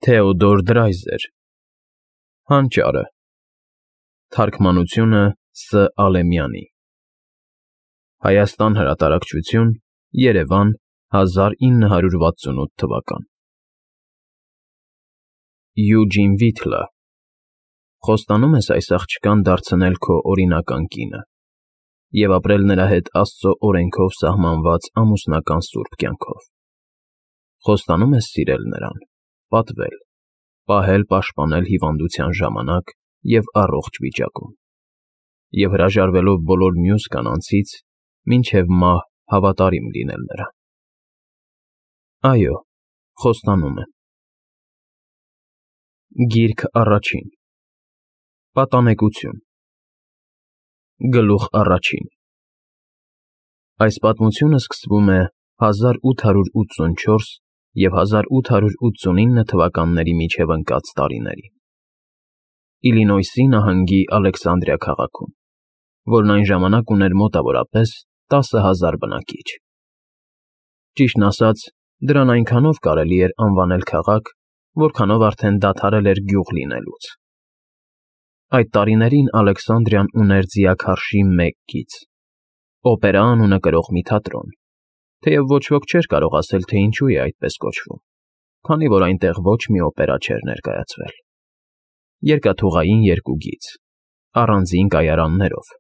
Թեոդոր Դրայզեր Հանճարը Թարգմանությունը Ս. Ալեմյանի Հայաստան հրատարակչություն Երևան 1968 թվական Յուջին Վիթլը Խոստանում ես այս աղջկան դարձնել քո օրինական կինը և ապրել նրա հետ Աստծո օրենքով սահմանված ամուսնական սուրբ կյանքով։ Խոստանում ես սիրել նրան, պատվել, պահել-պաշտպանել հիվանդության ժամանակ և առողջ վիճակում, և հրաժարվելով բոլոր մյուս կանանցից, մինչև մահ հավատարիմ լինել նրան։ Այո, խոստանում եմ։ Գիրք առաջին Պատանեկություն Գլուխ առաջին Այս պատմությունը սկսվում է 1884 և 1889 թվականների միջև ընկած տարիներին Իլինոյսի նահանգի Ալեքսանդրիա քաղաքում, որն այն ժամանակ ուներ մոտավորապես 10,000 բնակիչ։ Ճիշտն ասած, դրան այնքանով կարելի էր անվանել քաղաք, որքանով արդեն դադարել էր գյուղ լինելուց։ Այդ տարիներին Ալեքսանդրիան ուներ ձիաքարշի մեկ գիծ՝ օպերա անունը կրող մի թատրոն, թեև ոչ ոք չէր կարող ասել, թե ինչու է այդպես կոչվում, քանի որ այնտեղ ոչ մի օպերա չէր ներկայացվել։ Երկաթուղային երկու գիծ, առանձին կայարաններով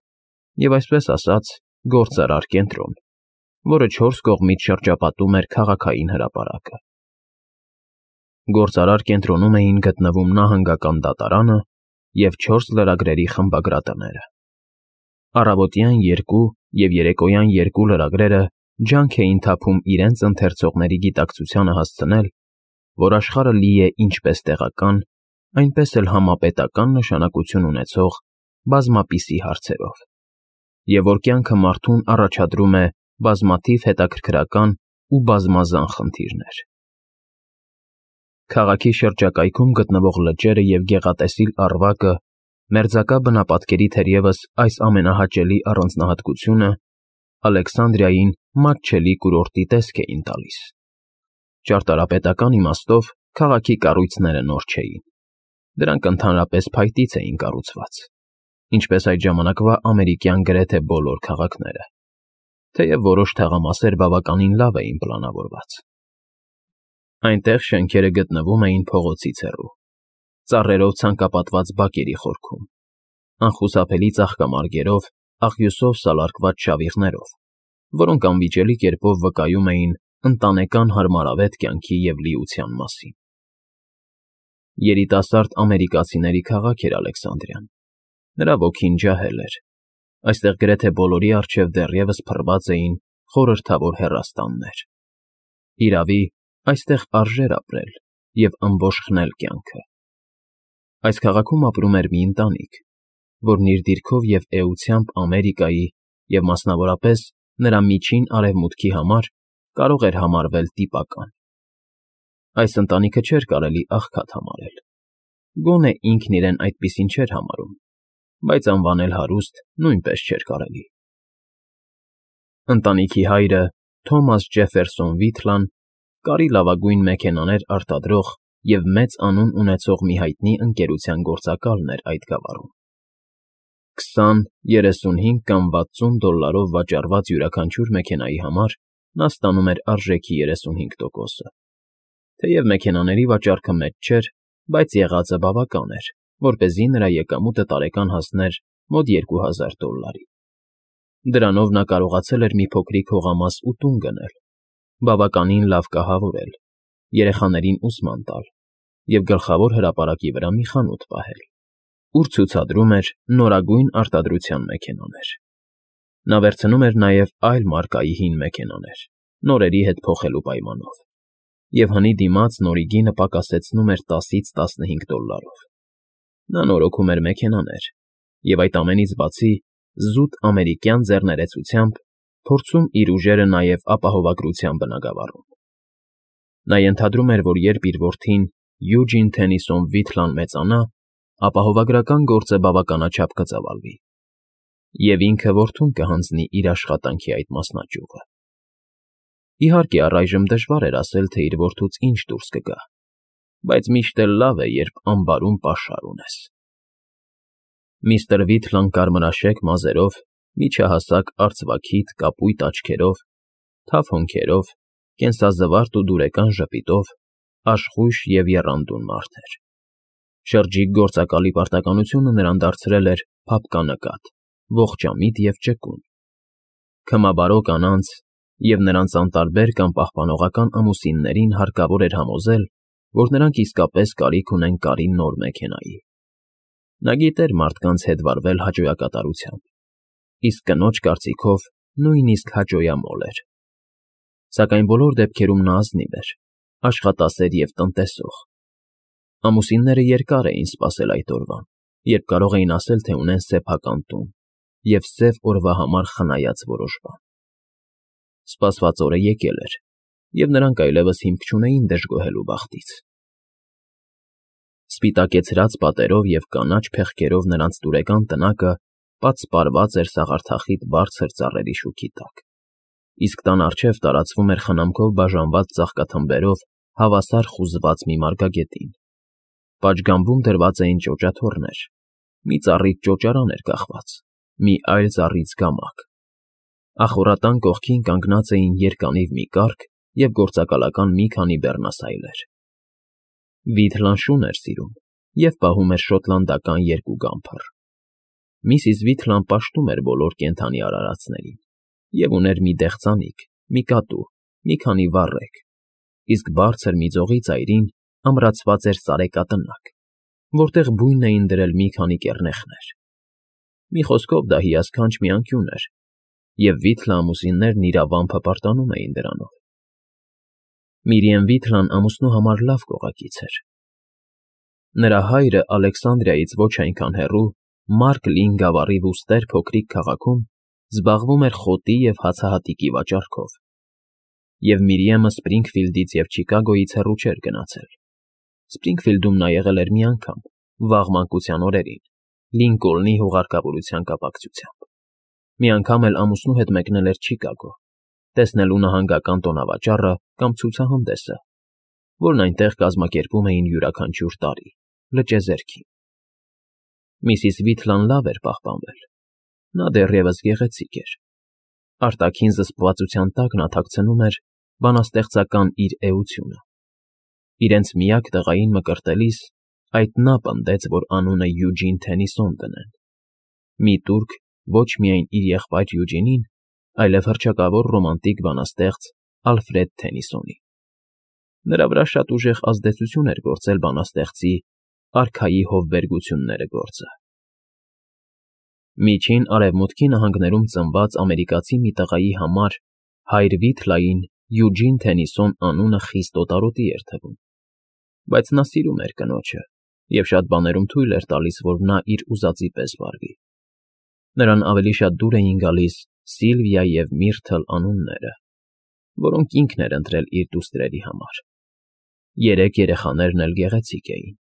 և, այսպես ասած, գործարար կենտրոն, որը 4 կողմից շրջապատում էր քաղաքային հրապարակը։ Գործարար կենտրոնում էին գտնվում նահանգական դատարանը և 4 լրագրերի խմբագրատները։ Առավոտյան 2 և երեկոյան 2 լրագրերը ջանք էին թափում իրենց ընթերցողների գիտակցությանը հասցնել, որ աշխարհը լի է ինչպես տեղական, այնպես էլ համապետական նշանակություն ունեցող բազմապիսի հարցերով, և որ կյանքը մարդուն առաջադրում է բազմաթիվ հետաքրքրական ու բազմազան խնդիրներ։ Քաղաքի շրջակայքում գտնվող լճերը և գեղատեսիլ Առվակը մերձակա բնապատկերի թերևս այս ամենահաճելի առանձնահատկությունը Ալեքսանդրիային մատչելի կուրորտի տեսք էին տալիս։ Ճարտարապետական իմաստով քաղաքի կառույցները նոր չէին։ Դրանք ընդհանրապես փայտից էին կառուցված, ինչպես այդ ժամանակվա ամերիկյան գրեթե բոլոր քաղաքները, թեև որոշ թաղամասեր բավականին լավ էին պլանավորված։ Այնտեղ շենքերը գտնվում էին փողոցից հեռու, ծառերով ցանկապատված բակերի խորքում, անխուսափելի ծաղկամարգերով, աղյուսով սալարկված շավիղներով, որոնք անվիճելի կերպով վկայում էին ընտանեկան հարմարավետ կյանքի և լիության մասին։ Երիտասարդ ամերիկացիների քաղաք էր Ալեքսանդրիան։ Նրա ոգին ջահել էր։ Այստեղ գրեթե բոլորի առջև դեռևս փռված էին խորհրդավոր հեռաստաններ։ Իրավի, այստեղ արժեր ապրել և ըմբոշխնել կյանքը։ Այս քաղաքում ապրում էր մի ընտանիք, որն իր դիրքով և էությամբ Ամերիկայի և, մասնավորապես, նրա միջին արևմուտքի համար կարող էր համարվել տիպական։ Այս ընտանիքը չէր կարելի աղքատ համարել։ Գոնե ինքն իրեն այդպիսին չէր համարում, բայց անվանել հարուստ նույնպես չէր կարելի։ Ընտանիքի հայրը՝ Թոմաս Ջեֆերսոն Վիթլան, կարի լավագույն մեքենաներ արտադրող և մեծ անուն ունեցող մի հայտնի ընկերության գործակալն էր այդ գավառում։ 20, 35 կամ 60 դոլարով վաճառված յուրաքանչյուր մեքենայի համար նա ստանում էր արժեքի 35%-ը։ Թեև մեքենաների վաճառքը մեծ չէր, բայց եղածը բավական էր, որպեսզի նրա եկամուտը տարեկան հասներ մոտ $2000։ Դրանով նա կարողացել էր մի փոքրիկ հողամաս ու տուն գնել, բավականին լավ կահավորել, երեխաներին ուսման տալ և գլխավոր հրապարակի վրա մի խանութ պահել, ուր ցուցադրում էր նորագույն արտադրության մեքենաներ։ Նա վերցնում էր նաև այլ մարկայի հին մեքենաներ, նորերի հետ փոխելու պայմանով, և հնի դիմաց նորի գինը պակասեցնում էր $10-15։ Նա նորոգում էր մեքենաներ և, այդ ամենից բացի, զուտ ամերիկյան ձեռներեցությամբ փորձում իր ուժերը նաև ապահովագրության բնագավառում։ Նա ենթադրում էր, որ երբ իր որդին՝ Յուջին Թենիսոն Վիթլան մեծանա, ապահովագրական գործը բավականաչափ կծավալվի, և ինքը որդուն կհանձնի իր աշխատանքի այդ մասնաճյուղը։ Իհարկե, առայժմ դժվար էր ասել, թե իր որդուց ինչ դուրս կգա, բայց միշտ էլ լավ է, երբ ամբարում պաշար ունես։ Միստր Վիթլան կարմրաշեկ մազերով, միջահասակ արծվաքիթ կապույտ աչքերով, թավ հոնքերով, կենսազվարթ ու դուրեկան ժպիտով, աշխույժ և եռանդուն մարդ էր։ Շրջիկ գործակալի պարտականությունը նրան դարձրել էր փափկանկատ, ողջամիտ և ճկուն։ Քմաբարո կանանց և նրանց անտարբեր կամ պահպանողական ամուսիններին հարկավոր էր համոզել, որ նրանք իսկապես կարիք ունեն կարի նոր մեքենայի։ Նա գիտեր մարդկանց հետ վարվել հաճոյակատարությամբ, իսկ կնոջ կարծիքով նույնիսկ հաճոյամոլ էր։ Սակայն բոլոր դեպքերում նա ազնիվ էր, աշխատասեր և տնտեսող։ Ամուսինները երկար էին սպասել այդ օրվան, երբ կարող էին ասել, թե ունեն սեփական տուն և սև օրվա համար խնայած որոշ բան։ Սպասված օրը եկել էր, և նրանք այլևս հիմք չունեին դժգոհելու բախտից։ Սպիտակեցրած պատերով և կանաչ փեղկերով նրանց տուրեկան տնակը պատսպարված էր սաղարթախիտ բարձր ծառերի շուքի տակ, իսկ տան առջև տարածվում էր խնամքով բաժանված ծաղկաթմբերով հավասար խուզված մի մարգագետին։ Պատշգամբում դրված էին ճոճաթոռներ, մի ծառից ճոճարան էր կախված, մի այլ ծառից գամակ։ Ախոռատան կողքին կանգնած էին երկանիվ մի կառք և գործակալական մի քանի բեռնասայլեր։ Վիթլան շուն էր սիրում և պահում էր շոտլանդական երկու գամփր։ Միսիս Վիթլան պաշտում էր բոլոր կենդանի արարածներին և ուներ մի դեղցանիկ, մի կատու, մի քանի վառեկ, իսկ բարձր մի ձողի ծայրին ամրացված էր սարեկատնակ, որտեղ բույն էին դրել մի քանի կեռնեխներ։ Մի խոսքով դա հիասքանչ մի անկյուն էր, և Վիթլը ամուսիններն իրավամփը պարտանում էին դրանով։ Միրիեմ Վիթլան ամուսնու համար լավ կողակից էր։ Նրա հայրը Ալեքսանդրիայից ոչ այնքան հեռու Մարկ Լին գավառի Վուստեր փոքրիկ քաղաքում զբաղվում էր խոտի և հացահատիկի վաճառքով, և Միրիեմը Սպրինգֆիլդից և Չիկագոյից հեռու չէր գնացել։ Սպրինգֆիլդում նա եղել էր մի անգամ, վաղ մանկության օրերին, Լինկոլնի հուղարկավորության կապակցությամբ։ Մի անգամ էլ ամուսնու հետ մեկնել էր Չիկագո, տեսնելու նահանգական տոնավաճառը կամ ցուցահանդեսը, որն այնտեղ կազմակերպում էին յուրաքանչյուր տարի, լճեզերքին։ Միսիս Վիթլան լավ էր պահպանվել։ Նա դեռևս գեղեցիկ էր։ Արտաքին զսպվածության տակ նա թաքցնում էր բանաստեղծական իր էությունը։ Իրենց միակ տղային մկրտելիս այդ նա պնդեց, որ անունը Յուջին Թենիսոն դնեն։ Մի տուրք ոչ միայն իր եղբայր Յուջինին, այլև հռչակավոր ռոմանտիկ բանաստեղծ Ալֆրեդ Թենիսոնին։ Նրա վրա շատ ուժեղ ազդեցություն էր գործել բանաստեղծի արքայի հովվերգությունները գործը։ Միջին Արևմուտքի նահանգներում ծնված ամերիկացի մի տղայի համար հայր Վիթլային Յուջին Թենիսոն անունը խիստ օտարոտի էր թվում, բայց նա սիրում էր կնոջը և շատ բաներում թույլ էր տալիս, որ նա իր ուզածի պես վարվի։ Նրան ավելի շատ դուր էին գալիս Սիլվիա և Միրթլ անունները, որոնք ինքն էր ընտրել իր դուստրերի համար։ Երեք երեխաներն էլ գեղեցիկ էին։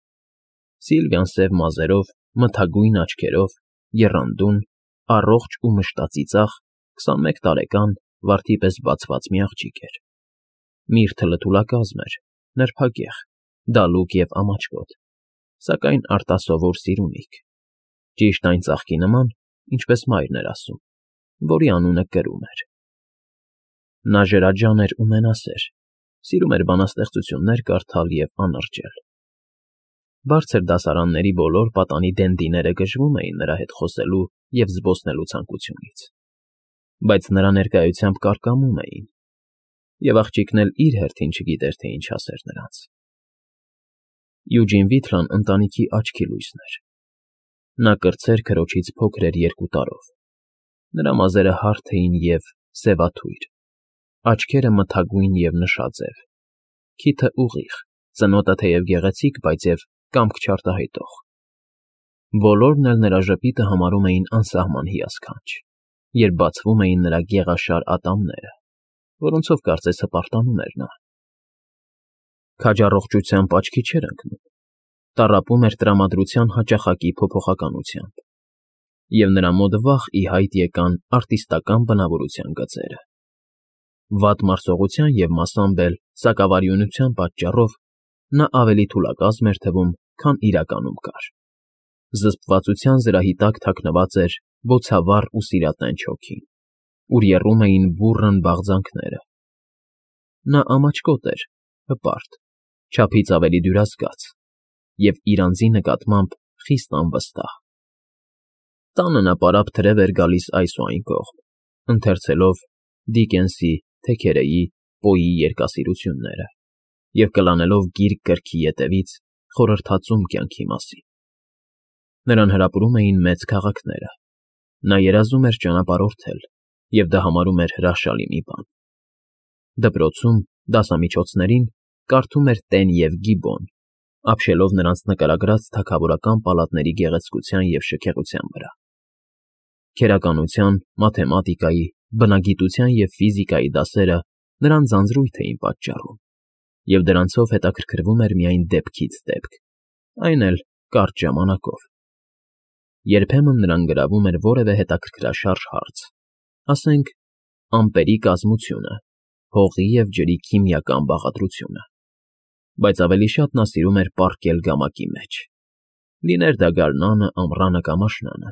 Սիլվիան սև մազերով, մթագույն աչքերով, եռանդուն, առողջ ու մշտածիծաղ, 21 տարեկան, վարդի պես բացված մի աղջիկ էր։ Միրթլը թուլակազմ էր, նրբագեղ, դալուկ և ամաչկոտ, սակայն արտասովոր սիրունիկ, ճիշտ այն ծաղկի նման, ինչպես մայրն էր ասում, որի անունը կրում էր։ Նա ժրաջան էր ու մենասեր, սիրում էր բանաստեղծություններ կարդալ և անըրջել։ Բարձր դասարանների բոլոր պատանի դենդիները գժվում էին նրա հետ խոսելու և զբոսնելու ցանկությունից, բայց նրա ներկայությամբ կարկամում էին, և աղջիկն էլ իր հերթին չգիտեր, թե ինչ ասեր նրանց։ Յուջին Վիթլան ընտանիքի աչքի լույսն էր։ Նա կրտսեր քրոջից փոքր էր 2 տարով։ Նրա մազերը հարթ էին և սևաթույր, աչքերը մթագույն և նշաձև, քիթը ուղիղ, ծնոտը թեև գեղեցիկ, բայց և կամք չարտահայտող։ Բոլորն էլ նրա ժպիտը համարում էին անսահման հիասքանչ, երբ բացվում էին նրա գեղաշար ատամները, որոնցով կարծես հպարտանում էր նա։ Քաջառողջությամբ աչքի չէր ընկնում, տառապում էր տրամադրության հաճախակի փոփոխականությամբ, և նրա մոտ վաղ ի հայտ եկան արտիստական բնավորության գծերը։ Վատ մարսողության և մասամբ էլ սակավարյունության պատճառով նա ավելի թուլակազմ էր թվում, քան իրականում կար։ Զսպվածության զրահի տակ թաքնված էր բոցավառ ու սիրատենչ հոգին, ուր եռում էին բուռն բաղձանքները։ Նա ամաչկոտ էր, հպարտ, չափից ավելի դյուրասկաց և իր անձի նկատմամբ խիստ անվստահ։ Տանը նա պարապ թրև էր գալիս այս ու այն կողմ, ընթերցելով Դիկենսի, Թեքերեի, Պոյի երգասիրությունները և կլանելով գիրք գրքի ետևից խորհրդածում կյանքի մասին։ Նրան հրապուրում էին մեծ քաղաքները, նա երազում էր ճանապարհորդել և դա համարում էր հրաշալի մի բան։ Դպրոցում դասամիջոցներին կարդում էր Տեն և Գիբոն, ապշելով նրանց նկարագրած թագավորական պալատների գեղեցկության և շքեղության վրա։ Քերականության, մաթեմատիկայի, բնագիտության և ֆիզիկայի դասերը նրան ձանձրույթ էին պատճառում, և դրանցով հետաքրքրվում էր միայն դեպքից դեպք, այն էլ կարճ ժամանակով։ Երբեմն նրան գրավում էր որևէ հետաքրքրաշարժ հարց, ասենք, ամպերի կազմությունը, հողի և ջրի քիմիական բաղադրությունը, բայց ավելի շատ նա սիրում էր պառկել գամակի մեջ, լիներ դա գարնանը, ամռանը կամ աշնանը,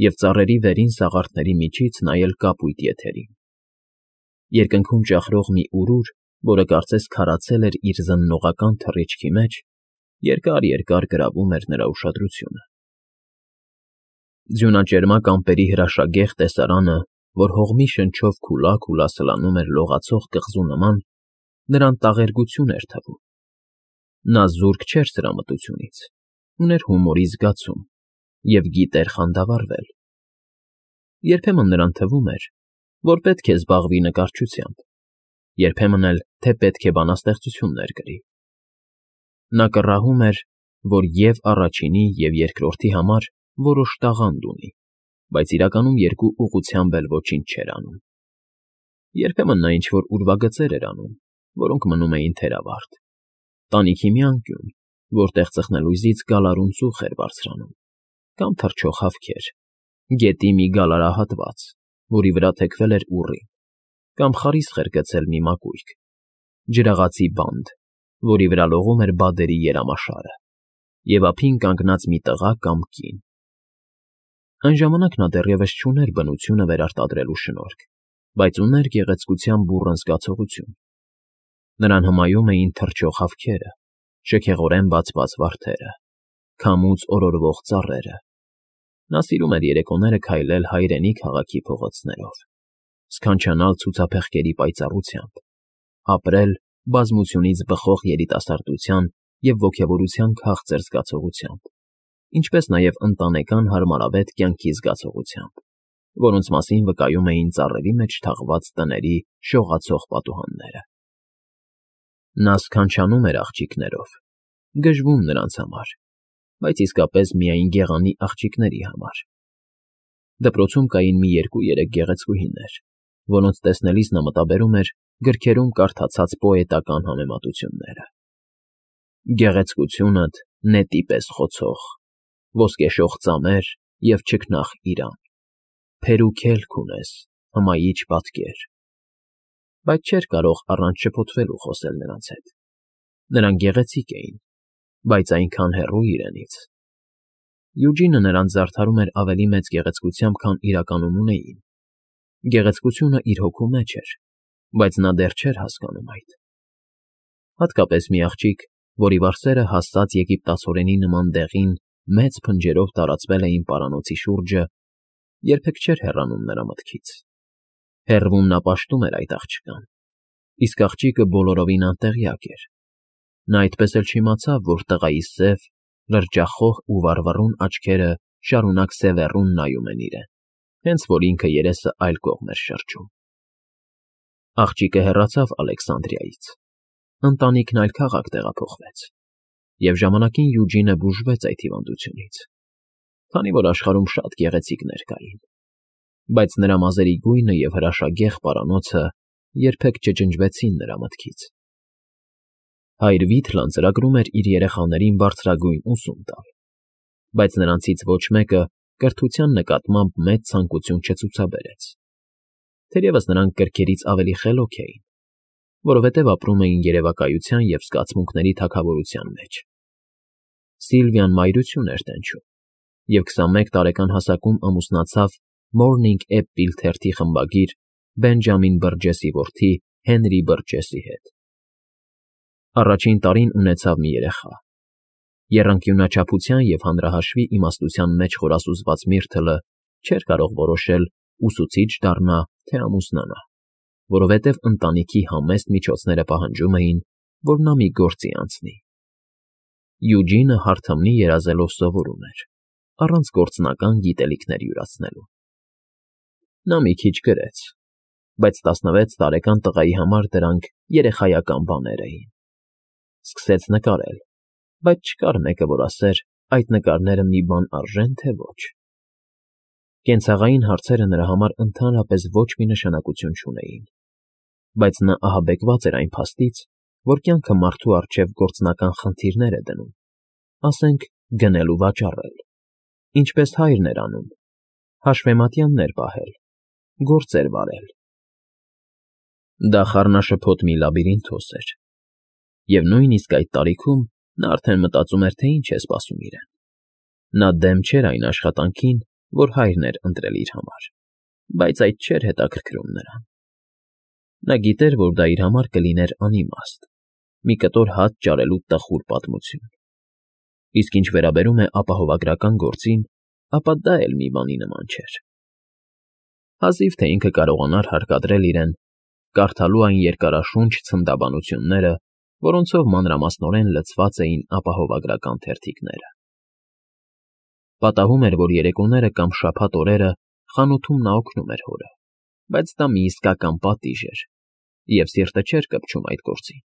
և ծառերի վերին սաղարթների միջից նայել կապույտ եթերին։ Երկնքում ճախրող մի урուր, որը կարծես քարացել էր իր զննողական թռիչքի մեջ, երկար գրավում էր նրա ուշադրությունը։ Ձյունաճերմակ ամպերի հրաշագեղ տեսարանը, որ հողմի շնչով քուլա սլանում էր լողացող կղզու նման, նրան տաղերգություն էր թվում։ Նա զուրկ չէր սրա մտությունից, ուներ հումորի զգացում և գիտեր խանդավառվել։ Երբեմն նրան թվում էր, որ պետք է զբաղվի նկարչությամբ, երբեմն էլ, թե պետք է բանաստեղծություններ գրի։ Նա կռահում էր, որ և առաջինի, և երկրորդի համար որոշ տաղանդ ունի, բայց իրականում երկու ուղղությամբ էլ ոչինչ չէր անում։ Երբեմն նա ինչ-որ ուրվագծեր էր անում, որոնք մնում էին թերավարտ, տանիքի մի անկյուն, որտեղ ծխնելույզից գալարուն ծուխ էր բարձրանում, կամ թռչող հավքեր, գետի մի գալարահատված, որի վրա թեքվել էր ուռին, կամ խարիսխ էր գցել մի մակույրք, ջրաղացի բանդ, որի վրա լողում էր բադերի երամաշարը, և ափին կանգնած մի տղա կամ կին։ Այն ժամանակ նա դեռևս չուներ բնությունը վերարտադրելու շնորհք, բայց ուներ գեղեցկության բուռն զգացողություն։ Նրան հմայում էին թռչող հավքերը, շքեղորեն բացված վարդերը, քամուց օրորվող ծառերը։ Նա սիրում էր երեկոները քայլել հայրենի քաղաքի փողոցներով, սքանչանալ ցուցափեղկերի պայծառությամբ, ապրել բազմությունից բխող երիտասարդության և ոգևորության քաղցր զգացողությամբ, ինչպես նաև ընտանեկան հարմարավետ կյանքի զգացողությամբ, որոնց մասին վկայում էին ծառերի մեջ թաղված տների շողացող պատուհանները։ Նա սքանչանում էր աղջիկներով, գժվում նրանց համար, բայց իսկապես միայն գեղանի աղջիկների համար։ Դպրոցում կային մի 2-3 գեղեցկուհիներ, որոնց տեսնելիս նա մտաբերում էր գրքերում կարդացած պոետական համեմատությունները. Գեղեցկությունդ նետի պես խոցող, ոսկեշող ծամեր և չքնաղ իրան, փերու քելք ունես, հմայիչ պատկեր։ Բայց չէր կարող առանց շփոթվելու խոսել նրանց հետ։ Նրանք գեղեցիկ էին, բայց այնքան հեռու իրենից։ Յուջինը նրանց զարդարում էր ավելի մեծ գեղեցկությամբ, քան իրականում ունեին։ Գեղեցկությունը իր հոգու մեջ էր, բայց նա դեռ չէր հասկանում այդ։ Հատկապես մի աղջիկ, որի վարսերը հասած եգիպտացորենի նման դեղին մեծ փնջերով տարածվել էին պարանոցի շուրջը, երբեք չէր հեռանում նրա մտքից։ Հեռվում նա պաշտում էր այդ աղջկան, իսկ աղջիկը բոլորովին անտեղյակ էր։ Նա այդպես էլ չիմացավ, որ տղայի սև, լրջախոհ ու վառվռուն աչքերը շարունակ սևեռուն նայում են իրեն, հենց որ ինքը երեսը այլ կողմ էր շրջում։ Աղջիկը հեռացավ Ալեքսանդրիայից, ընտանիքն այլ քաղաք տեղափոխվեց, և ժամանակին Յուջինը բուժվեց այդ հիվանդությունից, քանի որ աշխարհում շատ գեղեցիկներ կային, բայց նրա մազերի գույնը և հրաշագեղ պարանոցը երբեք չջնջվեցին նրա մտքից։ Հայր Վիթլան ծրագրում էր իր երեխաներին բարձրագույն ուսում տալ, բայց նրանցից ոչ մեկը կրթության նկատմամբ մեծ ցանկություն չցուցաբերեց։ Թերևս նրանք կրքերից ավելի խելոք էին, որովհետև ապրում էին երևակայության և զգացմունքների թագավորության մեջ։ Սիլվիան մայրություն էր տենչում և 21 տարեկան հասակում ամուսնացավ Morning Apple թերթի խմբագիր Բենջամին Բըրջեսի որդի Հենրի Բըրջեսի հետ։ Առաջին տարին ունեցավ մի երեխա։ Եռանկյունաչափության և հանրահաշվի իմաստության մեջ խորասուզված Միրթլը չէր կարող որոշել ուսուցիչ դառնա, թե ամուսնանա, որովհետև ընտանիքի համեստ միջոցները պահանջում էին, որ նա մի գործի անցնի։ Յուջինը հարթմնի երազելով սովորում էր, առանց գործնական գիտելիքներ յուրացնելու։ Նա մի քիչ գրեց, բայց 16 տարեկան տղայի համար դրանք երեխայական բաներ էին։ Սկսեց նկարել, բայց չկար մեկը, որ ասեր, այդ նկարները մի բան արժեն, թե ոչ։ Կենցաղային հարցերը նրա համար ընդհանրապես ոչ մի նշանակություն չունեին, բայց նա ահաբեկված էր այն փաստից, որ կյանքը մարդու առջև գործնական խնդիրներ է դնում, ասենք գնել ու վաճառել, ինչպես հայրն էր անում, հաշվեմատյաններ պահել, գործեր վարել։ Դա խառնաշփոթ մի լաբիրինթոս էր, և նույնիսկ այդ տարիքում նա արդեն մտածում էր, թե ինչ է սպասում իրեն։ Նա դեմ չէր այն աշխատանքին, որ հայրն էր ընտրել իր համար, բայց այդ չէր հետաքրքրում նրան։ Նա գիտեր, որ դա իր համար կլիներ անիմաստ, մի կտոր հաց ճարելու տխուր պատմություն։ Իսկ ինչ վերաբերում է ապահովագրական գործին, ապա դա էլ մի բանի նման չէր։ Հազիվ թե ինքը կարողանար հարկադրել իրեն կարդալու այն երկարաշունչ ցնդաբանությունները, որոնցով մանրամասնորեն լցված էին ապահովագրական թերթիկները։ Պատահում էր, որ երեկոները կամ շաբաթ օրերը խանութում նա օգնում էր հորը, բայց դա մի իսկական պատիժ էր, և սիրտը չէր կպչում այդ գործին։